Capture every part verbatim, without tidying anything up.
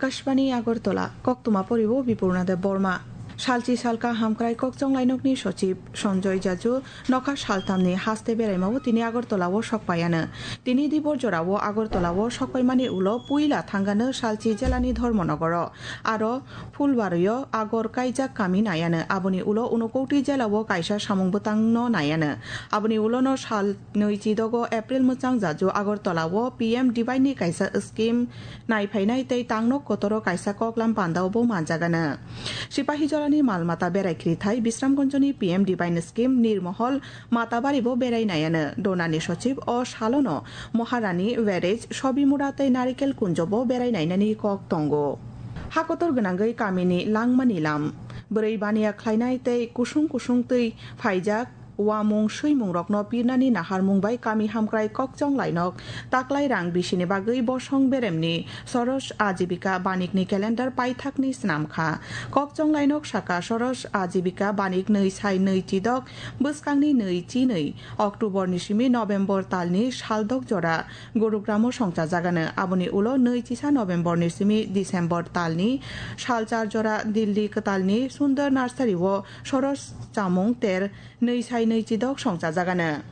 Kashbani Agartala, koktwma poribo Bipurna Deb Borma. Salchi salka hamkrai kokchong lainokni sochib Sanjoy Jaju nokha saltamni haste beraimao tini Agartalao sokpaiano. Tini dibor jorao Agartalao sokpaimani ulo puila thangano salchi jelani Dharmanagaro, aro Phulbario agor kaijak kami naiano. Aboni ulo Unakoti jelao kaisa samung bwtangno naiano. Aboni ulono sal nwi chidogo April mwchang Jaju Agartalao P M Divine ni kaisa scheme naiphainai tei tangnok kotoro kaisa koklam pandao bo manjagano. Sipahijolani mal mata berai khirithai Bisramganjoni P M Divine scheme Nirmohol Matabari bo berai naiano. Donani sochib o salono Maharani Village, Sobimura tei Narikel Kunjo bo berai nainani kok tongo. Hakotor gwnangwi kamini langmani lam, bwrwi baniya khlainai tei kusung kusung twi phaijak, uamung swimungrokno pirnani naharmung bai kami hamkrai kokchong lainok taklai rang bisini bagwi bosong beremni Soros Ajibika Banikni calendar paithakni snam kha. Kokchong lainok saka Soros Ajibika Banik nwi sai nwi chidok bwskangni nwi chinwi October ni simi November talni saldok jora Gurugramo songchajagano. Aboni ulo nwi chisa November ni simi December talni salchar jora Delhi kwtalni Sundar Nursery o Soros chamung ter nwi sai nwi chidok songchajagano.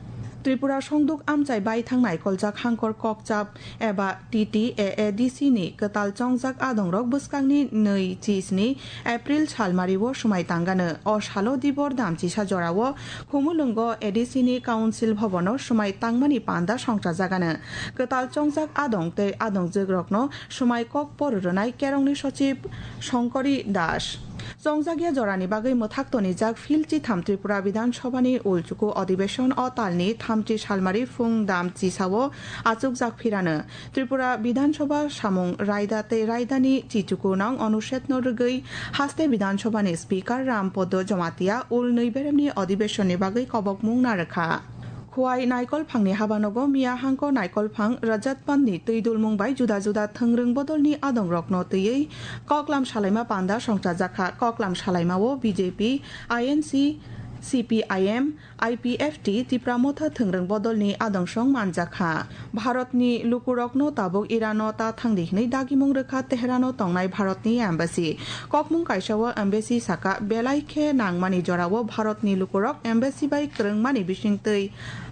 Tripura Songduk Amchai Baithang Naikoljak Hangkor Kokchap eba T T A A D C ni kwtal chongjak adongrok bwskangni nwi chisni April salmario swmai tangano. O salo dibor damchisa jorao Khumulwngo A D C ni Council Bhabono swmai tangmani panda songchajagano. Kwtal chongjak adong tei adongjwkrokno swmai kok por rwnai Kerongni Sochib Songkori Das. Chongjakya jorani bagwi mwthak tonijak phil chitham Tripura Bidhan Sabhani ulchuku adhibeshon o talni thamchi salmari phung dam chisao achukjak phirano. Tripura Bidhan Sabha samung raida tei raidani chichuku nang onushedno rwgwi haste Bidhan Sabhani Speaker Ram Podo Jamatia ul nwi beremni adhibeshonni bagwi kobokmung narwkha. Khowai Naikol Phangni habanogo miya hangko Naikol Phang Rajat Pandni twi dulmung bai juda juda thwngrwng bodolni adongrokno twiwi koklam salaima panda songchajakha. Koklam salaimao B J P, I N C, C P I M, I P F T, Tipra Motha thwngrwng bodolni adongsong manjakha. Bharatni lukurokno tabuk Irano ta thangdi hwnwi dagimung rwkha Tehrano tongnai Bharatni embassy. Kokmung kaisao embassy saka, belai khe nangmani jorao Bharatni lukurok embassy bai kwrwngmani bisingtwi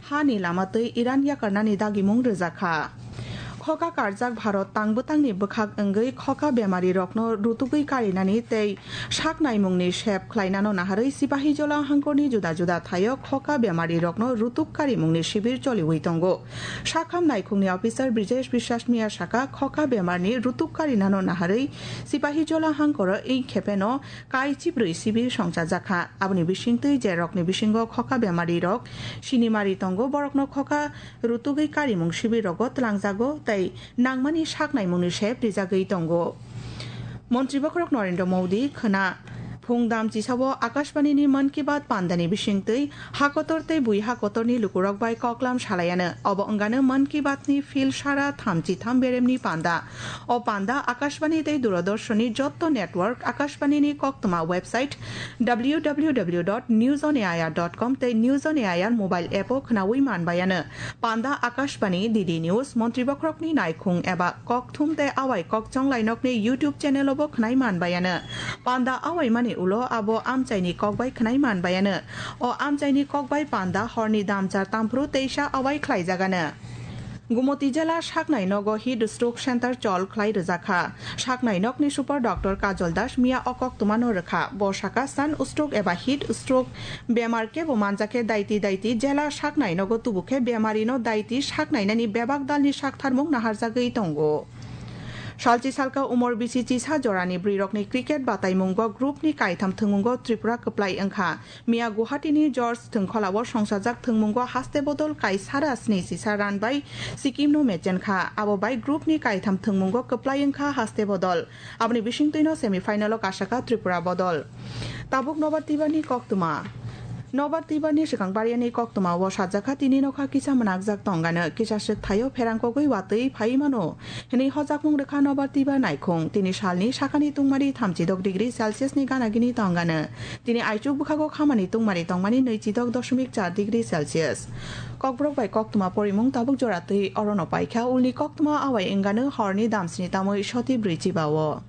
hani lama twi Iran yakarnani dagimung rwjakha. Khoka karjak Bharat tang bwtangni bwkhak wngwi khoka bemarirokno rutugwi karinani tei sak naimungni sep khlainano naharwi Sipahijola hangkorni juda juda thaio khoka bemarirokno rutuk karimungni sibir choliwi tongo. Sakham naikhungni officer Brijesh Biswas miya saka, khoka bemarni rutuk karinano naharwi Sipahijola hangkoro ei khepeno kai chibrwi sibir songchajakha. Aboni bisingtwi jerokni bisingo khoka bemarirok sinimari tongo, borokno khoka rutugwi karimung sibirrogo twlangjago tei nangmani sak naimungni sep rijagwi tongo. Montri bokhorok Narendra Modi khwna phung dam chisao Akashbanini Mann Ki Baat pandani bisingtwi hakotor tei bui hakotorni lukurok bai koklam salaiano. Obo wngano Mann Ki Baatni phil sara thamchi tham beremni panda. O panda Akashbani tei Doordarshanni jotto network, Akashbanini koktwma website W W W dot news on A I R dot com tei News on A I R mobile app o khwnawi manbaiano. Panda Akashbani, D D News, Montri bokhorokni naikhung eba kokthum tei awai kokchong lainokni YouTube channel o bo khwnai manbaiano. Panda awaimani ulo abo amchaini kok bai khwnai manbaiano. O amchaini kok bai panda horni damchar tamphru teisa awai khlaijagano. Gumoti jela saknai nogo heat stroke center chol khlai rwjakha. Saknai nokni super doctor Kajol Das miya o koktwmano rwkha. Bo saka sun stroke eba heat stroke bemar kebo manjakhe daiti daiti jela saknai nogo tubukhe bemarino daiti saknainani bebak dalni saktharmung naharjagwi tongo. Salchi salka umor bisi chisa jorani bwrwirokni cricket bataimungo group ni kaitham thwngmungo Tripura kwplai wngkha. Miya Guwahati ni George Thwngkhola o songchajak thwngmungo haste bodol kaisara sni chisa run bai Sikkim no mechenkha. Abo bai group ni kaitham thwngmungo kwplai wngkha haste bodol. Aboni bisingtwino semi final o kasakha Tripura bodol. Tabuk nobar tibani koktwma. Nobar Tibar ni swkang bariani koktwma o sajak kha, tini nokha kisa mwnakjak tongano, kisa swk thaio pherang kogwi watwi phai mano hwnwi hojakmung rwkha Nobar Tibar naikhung. Tini salni sakani tungmari thamchidok degree Celsius ni gana gini tongano, tini aichuk bwkhago khamani tungmari tongmani nwichidok doshomik char degree Celsius. Kokborok bai koktwma porimung tabuk jora twi orono paikha, ulni koktwma awai wngano horni damsni tamwi soti brwi chiba o.